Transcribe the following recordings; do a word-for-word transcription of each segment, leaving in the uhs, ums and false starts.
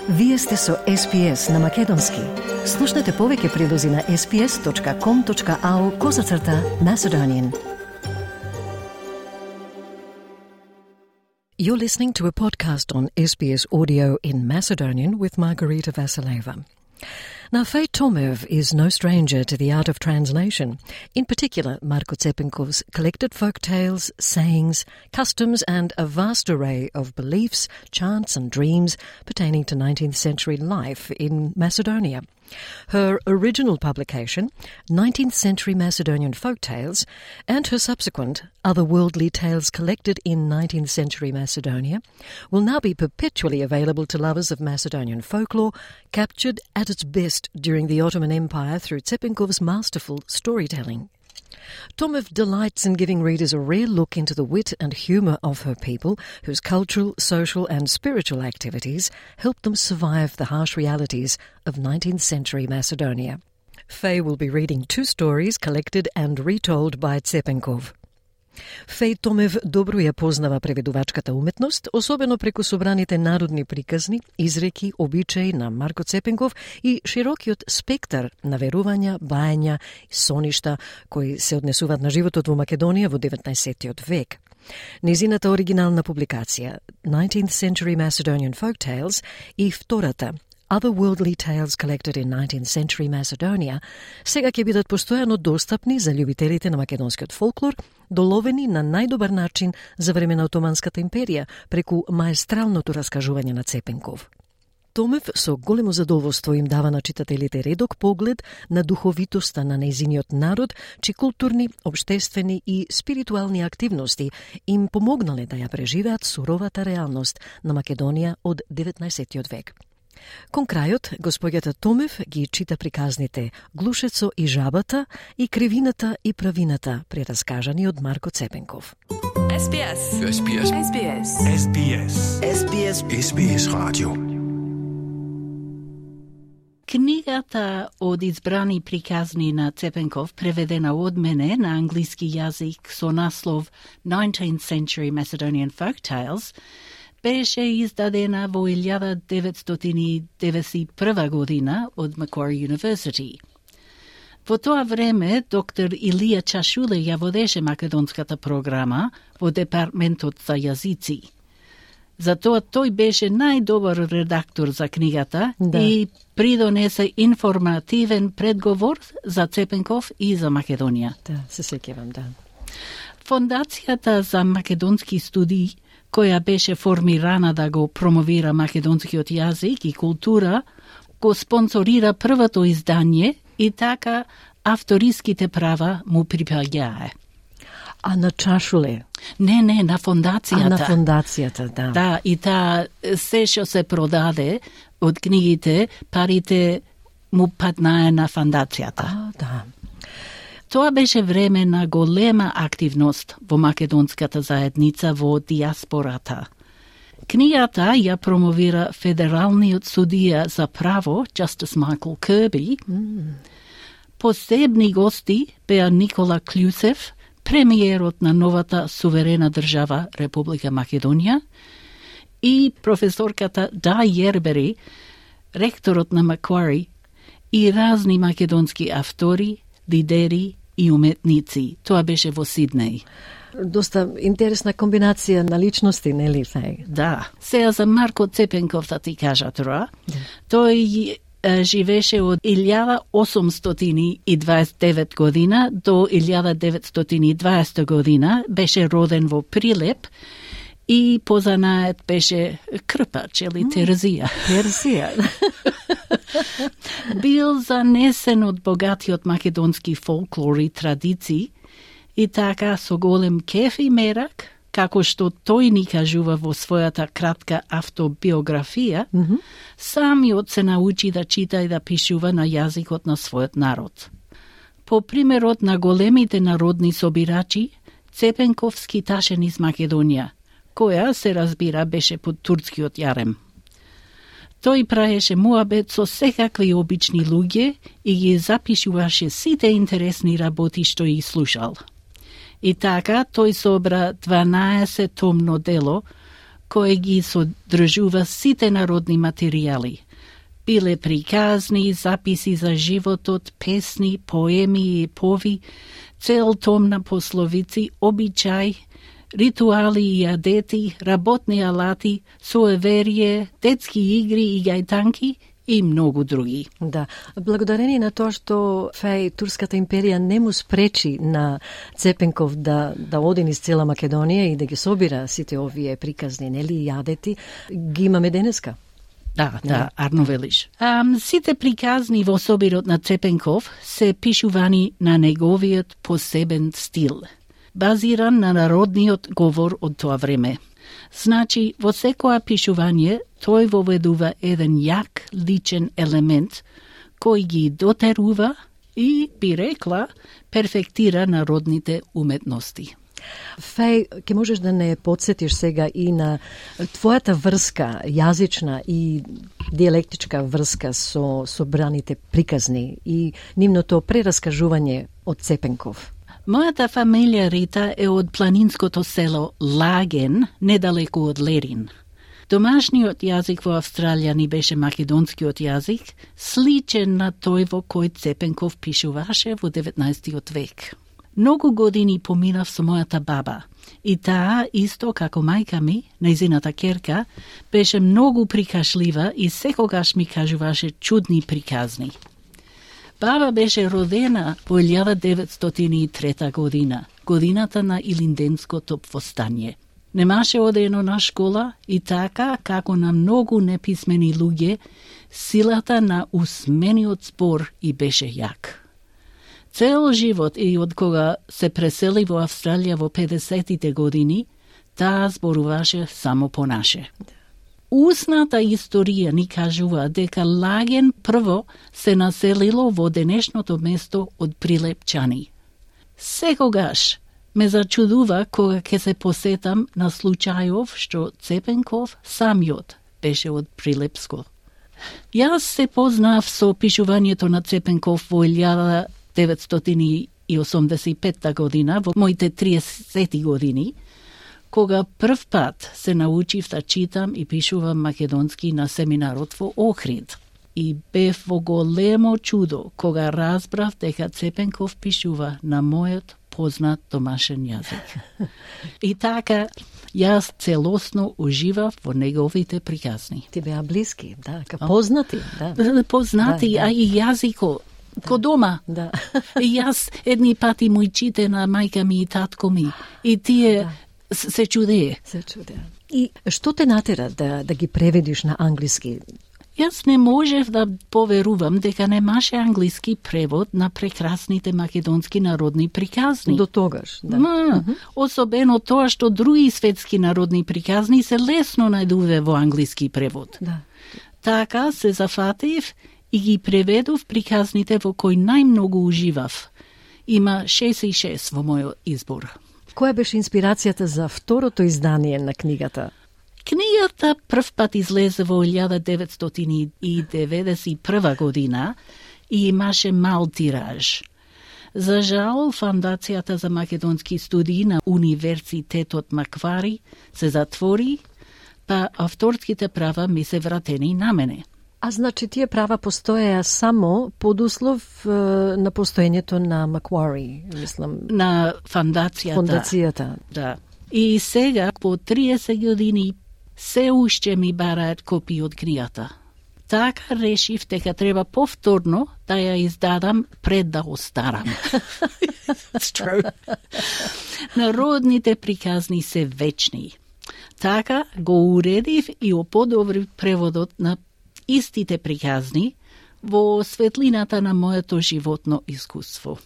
Вие сте со Ес Би Ес на Македонски. Слушнете повеќе прилози на ес би ес точка ком точка ау козацрта Macedonian. You're listening to a podcast on S B S Audio in Macedonian with Margarita Vasileva. Now, Faye Tomev is no stranger to the art of translation, in particular Marko Cepenkov's collected folk tales, sayings, customs and a vast array of beliefs, chants and dreams pertaining to nineteenth century life in Macedonia. Her original publication, nineteenth century Macedonian Folk Tales, and her subsequent Otherworldly Tales Collected in nineteenth century Macedonia, will now be perpetually available to lovers of Macedonian folklore, captured at its best during the Ottoman Empire through Cepenkov's masterful storytelling. Tomev delights in giving readers a rare look into the wit and humour of her people, whose cultural, social and spiritual activities helped them survive the harsh realities of nineteenth century Macedonia. Faye will be reading two stories collected and retold by Cepenkov. Феј Томев добро ја познава преведувачката уметност, особено преку собраните народни приказни, изреки, обичаи на Марко Цепенков и широкиот спектар на верувања, бајања и соништа кои се однесуваат на животот во Македонија во деветнаесеттиот век. Незината оригинална публикација nineteenth century Macedonian Folk Tales и втората Otherworldly Tales Collected in nineteenth century Macedonia сега ќе бидат постојано достапни за љубителите на македонскиот фолклор, доловени на најдобар начин за време на Отоманската империја, преку маестралното раскажување на Цепенков. Томев со големо задоволство им дава на читателите редок поглед на духовитоста на нејзиниот народ, чии културни, обштествени и спиритуални активности им помогнале да ја преживеат суровата реалност на Македонија од деветнаесеттиот век. Кон крајот, господјата Томев ги чита приказните Глушецо и жабата и Кривината и правината, прераскажани од Марко Цепенков. Ес Би Ес. Ес Би Ес. Ес Би Ес. Ес Би Ес. Ес Би Ес. Ес Би Ес радио. Книгата од избрани приказни на Цепенков, преведена од мене на англиски јазик со наслов nineteenth century Macedonian Folk Tales, беше издадена во илјада деветстотини деветдесет и прва година од Macquarie University. Во тоа време, доктор Илија Чашуле ја водеше македонската програма во Департментот за јазици. Затоа тој беше најдобар редактор за книгата да. И придонесе информативен предговор за Цепенков и за Македонија. Да, се сеќавам, да. Фондацијата за македонски студии, која беше формирана да го промовира македонскиот јазик и култура, го спонсорира првото издание и така авториските права му припаѓае. А на Чашуле? Не, не, на фондацијата. А на фондацијата, да. Да, и таа се што се продаде од книгите, парите му паднае на фондацијата. А, да. Тоа беше време на голема активност во македонската заедница во диаспората. Книгата ја промовира федералниот судија за право, Justice Michael Kirby. Mm. Посебни гости беа Никола Клюсев, премиерот на новата суверена држава Република Македонија, и професорката Да Јербери, ректорот на Macquarie, и разни македонски автори, лидери и уметници. Тоа беше во Сиднеј. Доста интересна комбинација на личности, нели, Фај? Да. Сега за Марко Цепенков да ти кажа тоа. Да. Тој е, живеше од илјада осумстотини и дваесет и девет година до илјада деветстотини и дваесета година. Беше роден во Прилеп и позанает беше крпач или терзија. Терзија. Бил занесен од богатиот македонски фолклор и традиции и така со голем кеф и мерак, како што тој ни кажува во својата кратка автобиографија, mm-hmm. самиот се научи да чита и да пишува на јазикот на својот народ. По примерот на големите народни собирачи, Цепенков скиташе низ Македонија, која, се разбира, беше под турскиот јарем. Тој праеше муабет со секакви обични луѓе и ги запишуваше сите интересни работи што ги слушал. И така, тој собра дванаесет томно дело кој ги содржува сите народни материјали. Биле приказни, записи за животот, песни, поеми и пови, цел том на пословици, обичај, ритуали и адети, работни алати, суеверие, детски игри и гајтанки и многу други. Да, благодарение на тоа што Феј Турската империја не му спречи на Цепенков да да оди низ цела Македонија и да ги собира сите овие приказни, нели, и адети, ги имаме денеска. Да, да, арно велиш. Um, сите приказни во собирот на Цепенков се пишувани на неговиот посебен стил, базиран на народниот говор од тоа време. Значи, во секоја пишување, тој воведува еден јак личен елемент, кој ги дотерува и, би рекла, перфектира народните уметности. Феј, ке можеш да не подсетиш сега и на твојата врска, јазична и диелектичка врска со, со браните приказни и нивното прераскажување од Цепенков? Мојата фамилија Рита е од планинското село Лаген, недалеку од Лерин. Домашниот јазик во Австралија ни беше македонскиот јазик, сличен на тој во кој Цепенков пишуваше во деветнаесеттиот век. Многу години поминав со мојата баба и таа, исто како мајка ми, нејзината керка, беше многу прикашлива и секогаш ми кажуваше чудни приказни. Баба беше родена во илјада деветстотини и трета година, годината на Илинденското повстање. Немаше одено на школа и така, како на многу неписмени луѓе, силата на усмениот збор и беше јак. Цел живот и од кога се пресели во Австралија во педесетите години, таа зборуваше само по наше. Устната историја ни кажува дека Лаген прво се населило во денешното место од Прилепчани. Секогаш ме зачудува кога ќе се посетам на случајов што Цепенков самиот беше од Прилепско. Јас се познав со пишувањето на Цепенков во илјада деветстотини и осумдесет и петта година, во моите триесети години, кога прв пат се научив да читам и пишувам македонски на семинарот во Охрид. И бев во големо чудо кога разбрав дека Цепенков пишува на мојот познат домашен јазик. И така, јас целосно уживав во неговите приказни. Ти беа блиски, да, ка познати. Да. Познати, да, да. А и јазико, ко дома. Да. И јас едни пати му чите на мајка ми и татко ми. И тие да. се чудее. Се чудее. И што те натера да, да ги преведиш на англиски? Јас не можев да поверувам дека немаше англиски превод на прекрасните македонски народни приказни. До тогаш, да. Ма, uh-huh. Особено тоа што други светски народни приказни се лесно најдуве во англиски превод. Да. Така се зафатив и ги преведов приказните во кои најмногу уживав. Има шест и шест во мојот избор. Која беше инспирацијата за второто издание на книгата? Книгата прв пат излезе во илјада деветстотини и деветдесет и прва година и имаше мал тираж. За жал, Фондацијата за македонски студии на Универзитетот Маквари се затвори, па авторските права ми се вратени на мене. А значи тие права постоеа само под услов е, на постоењето на Маквари, мислам. На фондацијата. Фондацијата. Да. И сега, по триесет години, се уште ми бараат копии од книгата. Така решив дека треба повторно да ја издадам пред да остарам. It's true. Народните приказни се вечни. Така го уредив и оподобрив преводот на истите приказни во светлината на моето животно искуство.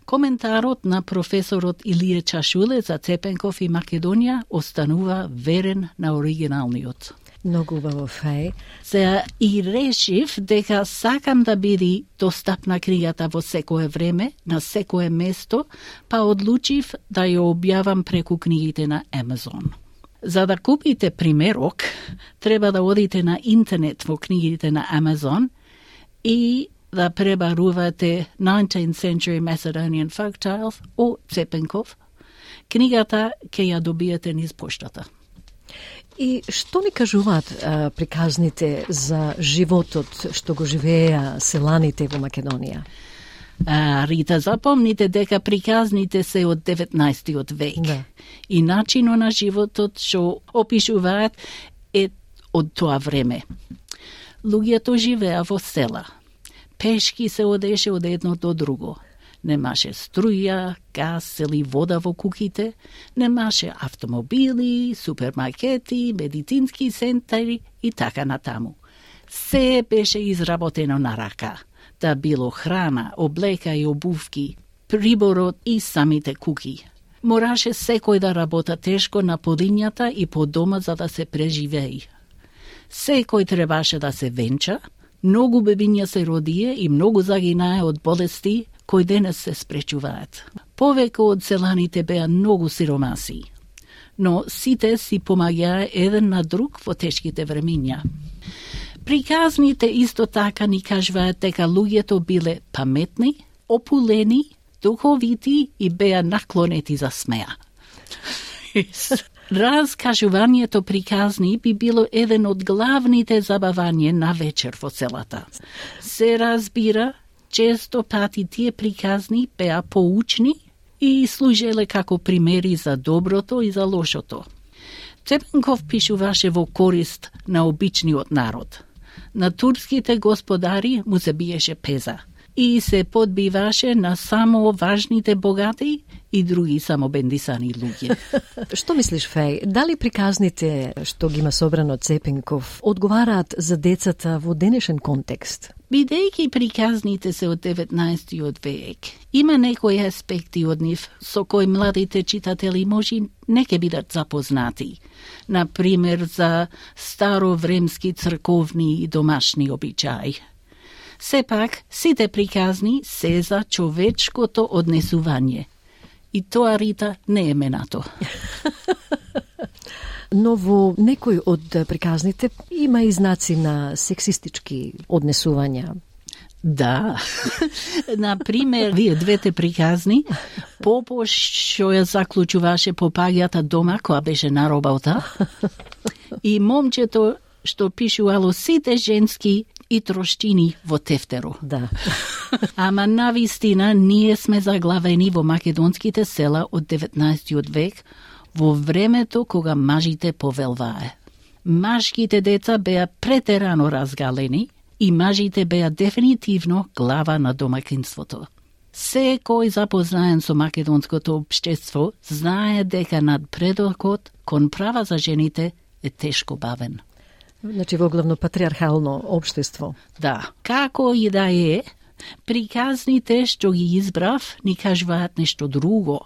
Коментарот на професорот Илија Чашуле за Цепенков и Македонија останува верен на оригиналниот. Многу убаво, Феј. Се и решив дека сакам да биде достапна книгата во секое време, на секое место, па одлучив да ја објавам преку книгите на Амазон. За да купите примерок, треба да одите на интернет во книгите на Амазон и да пребарувате nineteenth century Macedonian Folktales о Цепенков. Книгата ќе ја добиете низ поштата. И што ни кажуваат а, приказните за животот што го живееа селаните во Македонија? А, Рита, запомните дека приказните се од деветнаесеттиот век. Да. И начинот на животот што опишуваат е од тоа време. Луѓето живеа во села. Пешки се одеше од едно до друго. Немаше струја, газ или вода во куќите, немаше автомобили, супермаркети, медицински центри и така натаму. Се беше изработено на рака, да било храна, облека и обувки, приборот и самите куќи. Мораше секој да работа тешко на полињата и по дома за да се преживеи. Секој требаше да се венча, многу бебиња се родие и многу загинае од болести кои денес се спречуваат. Повеќе од селаните беа многу сиромаси, но сите си помаѓаа еден на друг во тешките времиња. Приказните исто така ни кажуваат дека луѓето биле паметни, опулени, духовити и беа наклонети за смеа. Разкажувањето приказни би било еден од главните забавања на вечер во селата. Се разбира, често пати тие приказни беа поучни и служеле како примери за доброто и за лошото. Цепенков пишуваше во корист на обичниот народ. На турските господари му се биеше пеза и се подбиваше на само важните богати и други самобендисани луѓе. Што мислиш, Феј? Дали приказните што ги има собрано Цепенков одговараат за децата во денешен контекст? Бидејќи приказните се од деветнаесеттиот век, има некои аспекти од нив со кои младите читатели може не ке бидат запознати. Например, за старовремски црковни и домашни обичаи. Сепак, сите приказни се за човечкото однесување. И тоа, Рита, не е менато. Но во некој од приказните има и знаци на сексистички однесувања. Да. Например, вие двете приказни, Попош што ја заклучуваше попаѓата дома која беше на работа и момчето што пишувало сите женски и троштини во тефтеро. Да. Ама навистина ние сме заглавени во македонските села од деветнаесеттиот век, во времето кога мажите повелвае. Машките деца беа претерано разгалени и мажите беа дефинитивно глава на домакинството. Секој запознаен со македонското општество знае дека надпредокот кон права за жените е тешко бавен. Значи во главно патриархално општество. Да, како и да е, приказните што ги избрав ни кажуваат нешто друго.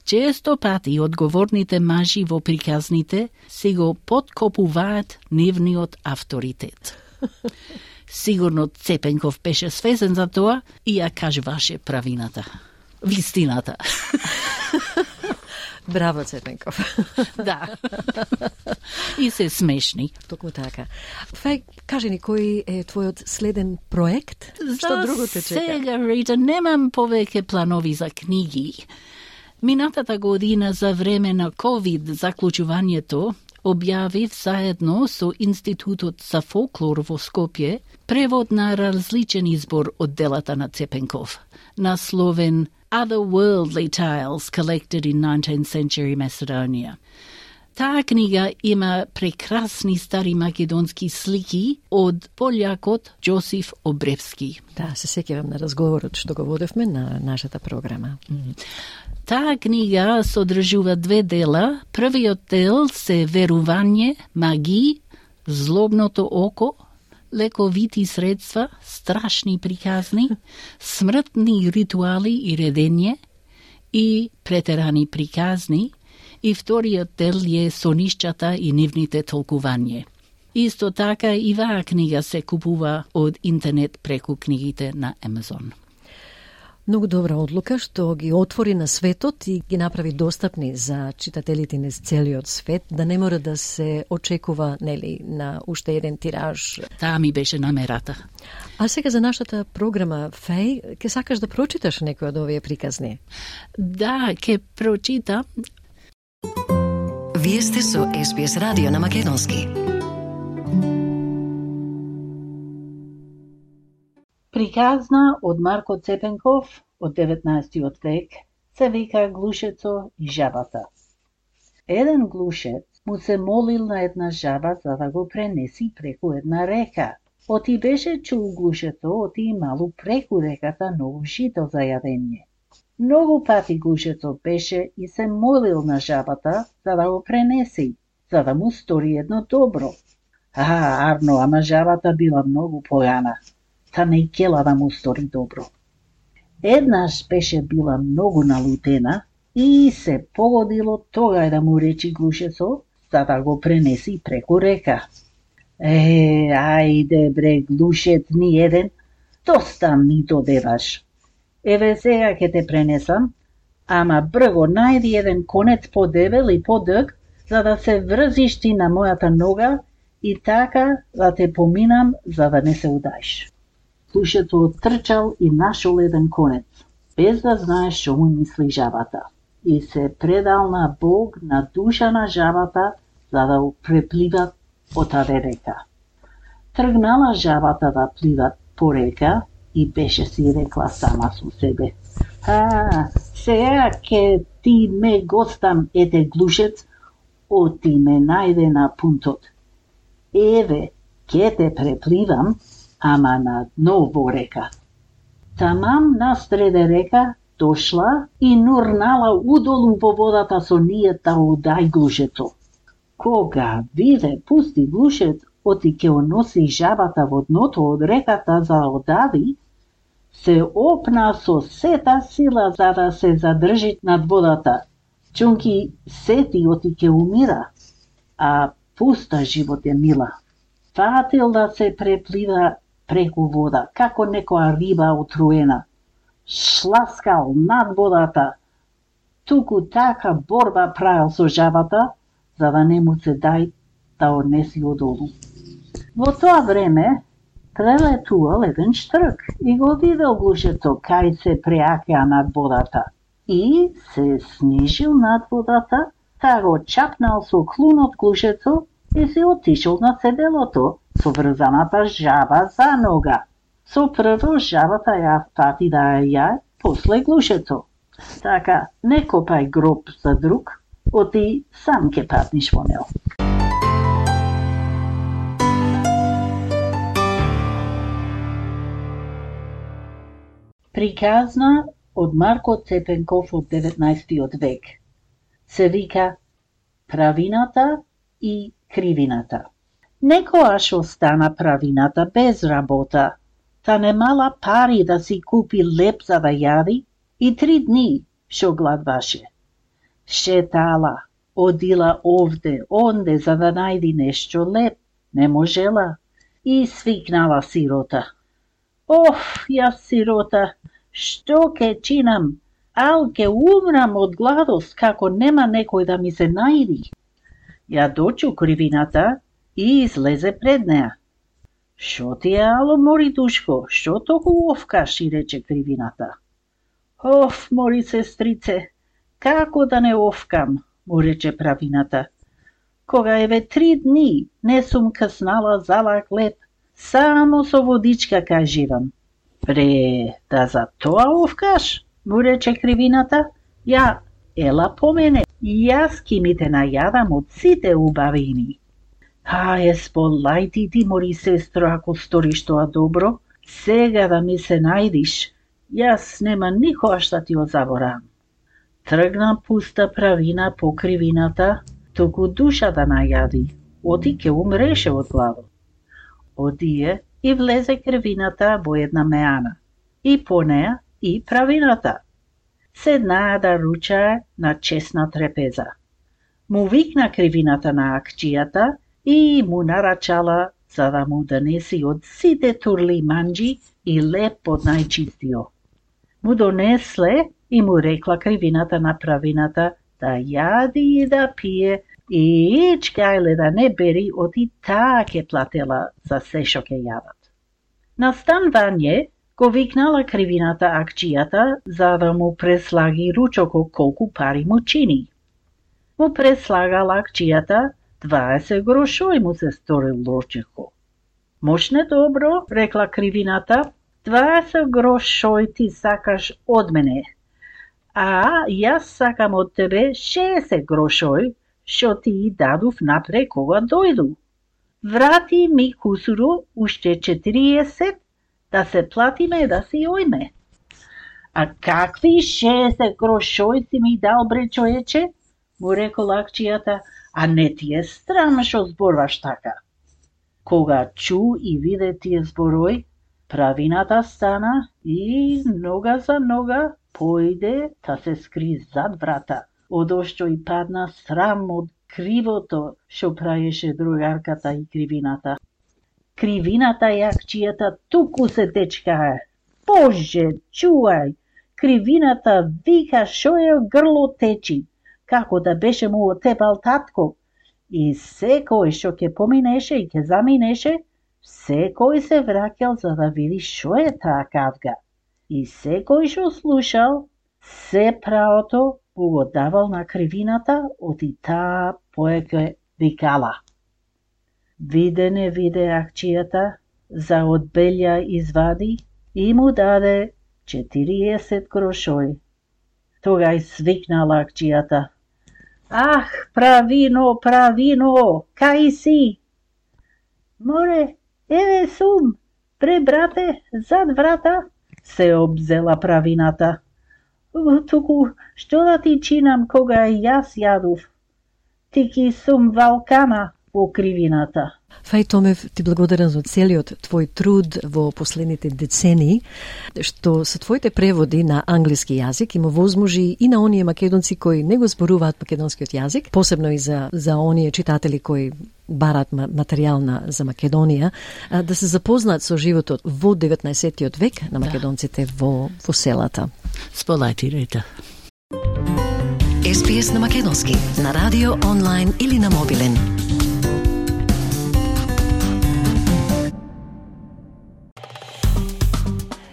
Често пати одговорните мажи во приказните си го подкопуваат нивниот авторитет. Сигурно Цепенков беше свесен за тоа и ја кажуваше правината. Вистината. Браво, Цепенков. Да. И се смешни. Токму така. Феј, кажи ни, кој е твојот следен проект? Што друго те чека? Сега, Рита, немам повеќе планови за книги. Минатата година за време на ковид заклучувањето објавив заедно со Институтот за фолклор во Скопје превод на различен избор од делата на Цепенков, насловен Otherworldly Tales Collected in nineteenth Century Macedonia. Таа книга има прекрасни стари македонски слики од полјакот Џосиф Обревски. Да, се сеќавам на разговорот што го водевме на нашата програма. Таа книга содржува две дела. Првиот дел се верување, магии, злобното око, лековити средства, страшни приказни, смртни ритуали и редење и претерани приказни, и вториот дел е сонишчата и нивните толкување. Исто така и ваа книга се купува од интернет преку книгите на Амазон. Многу добра одлука што ги отвори на светот и ги направи достапни за читателите низ целиот свет, да не мора да се очекува, нели, на уште еден тираж. Таа ми беше намерата. А сега за нашата програма, Феј, ке сакаш да прочиташ некој од овие приказни? Да, ке прочитам. Вие сте со Ес Би Ес радио на македонски. Приказна од Марко Цепенков од деветнаесеттиот век се вика Глушецо и жабата. Еден глушец му се молил на една жаба за да го пренеси преку една река. Оти беше чул глушецо, оти имало преку реката ново жито за јадење. Многу пати глушецо беше и се молил на жабата за да го пренеси, за да му стори едно добро. А, арно, ама жабата била многу појана. Та не кела да му стори добро. Еднаш беше била многу налутена и се погодило тогај да му речи глушецо за да го пренеси преку река. Е, ајде бре, глушец ни еден, доста ми додеваш. Еве сега ќе те пренесам, ама брго најди еден конец подебел и подъг, за да се врзиш ти на мојата нога и така да те поминам за да не се удаиш. Глушецо оттрчал и нашол еден конец, без да знае што му мисли жабата, и се предал на Бог, на душа на жабата, за да препливат по таде река. Тргнала жабата да пливат по река и беше си рекла сама со себе: А, сега ке ти ме гостам, ете глушец, оти ме најде на пунтот. Еве, ке те препливам, ама на дно во река. Тамам насреде река дошла и нурнала удолу во водата со нијет да удај глушецо. Кога виде пусти глушец, оти ке оноси жабата во дното од реката за да одави, се опна со сета сила за да се задржи над водата. Чунки сети оти ке умира, а пуста живот е мила. Фатил да се преплива преку вода, како некоја риба отруена. Шласкал над водата, туку така борба правил со жабата, за да не му се дај да однеси одолу. Во тоа време прелетувал еден штрк и го видел глушецо кај се преакеа над водата и се снижил над водата, та го чапнал со клунот глушецо и се отишол на седелото со врзаната жаба за нога. Со прво жабата ја фати да ја ја, после глушецо. Така, не копај гроб за друг, оти сам ке патниш во него. Приказна од Марко Цепенков од деветнаесеттиот век. Се вика Правината и кривината. Некојаш остана правината без работа, та немала пари да си купи леп за да јади и три дни шо гладваше. Шетала, одила овде, онде за да најди нешто леп, не можела и свикнала сирота. Оф, јас сирота, што ке чинам? Ал ке умрам од гладост како нема некој да ми се најди. Ја дочу кривината и излезе пред неа. Шо ти е, ало, мори душко, што толку овкаш, и рече кривината. Оф, мори сестрице, како да не овкам, му рече правината. Кога еве три дни не сум каснала залак леп, само со водичка каживам. Пре, да за тоа овкаш, му рече кривината, ја, ела по мене, јас ки ми те најадам од сите убавини. А, есполај ти ти, мори сестро, ако сториш тоа добро, сега да ми се најдиш, јас нема никогаш да ти го заборавам. Тргна пуста правина по кривината, туку душа да најади, оти ке умреше од гладот. Одие и влезе кривината во една меана, и по неа и правината. Седнаа да ручае на чесна трепеза. Му викна кривината на акчијата и му нарачала за да му донеси од сите турли манџи и леп од најчистио. Му донесле и му рекла кривината на правината да јади и да пие и ичкајле да не бери, оти таа ке платела за се шо ке јадат. На станвање го викнала кривината акчијата за да му преслаги ручоко колку пари му чини. му преслагала акчијата дваесет грошови му се сторил лошико. Мошне добро, рекла кривината, дваесет грошови ти сакаш од мене, а јас сакам од тебе шеесет грошови, што ти и дадов напре кога дојду. Врати ми кусуру уште четириесет, да се платиме да си ојме. А какви шеесет грошови си ми дал, бре човече? Му рекол акчијата, а не ти е страм што зборваш така. Кога чу и виде тие зборови, правината стана и нога за нога поиде та се скри зад врата, одошто и падна срам од кривото што правеше другарката и кривината. Кривината и акчијата туку се течкае. Боже, чувај! Кривината вика шо е грло течи, како да беше му отепал татко. И секој што ќе поминеше и ќе заминеше, секој се враќал за да види шо е таа кавга. И секој што слушал, се правото му го давал на кривината, оти таа поеќе викала. Виде не виде акчијата, за одбелја извади и му даде четириесет грошови. Тогај свикнала акчијата. Ах, правино, правино, кај си? Море, еве сум, пре брате, зад врата, се обзела правината. Туку, што да ти чинам кога јас јадов? Тики сум валкана во кривината. Фај Томев, ти благодарам за целиот твој труд во последните децении, што со твоите преводи на англиски јазик им овозможи и на оние македонци кои не го зборуваат македонскиот јазик, посебно и за, за оние читатели кои барат материјал на, за Македонија, да се запознаат со животот во деветнаесеттиот век на македонците во, во селата. Сполајтирајте. Ес Би Ес на македонски, на радио, онлайн или на мобилен.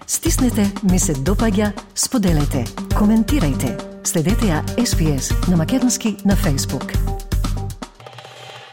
Стиснете, ми се допаѓа, споделете, коментирајте. Следете ја Ес Би Ес на македонски на Facebook.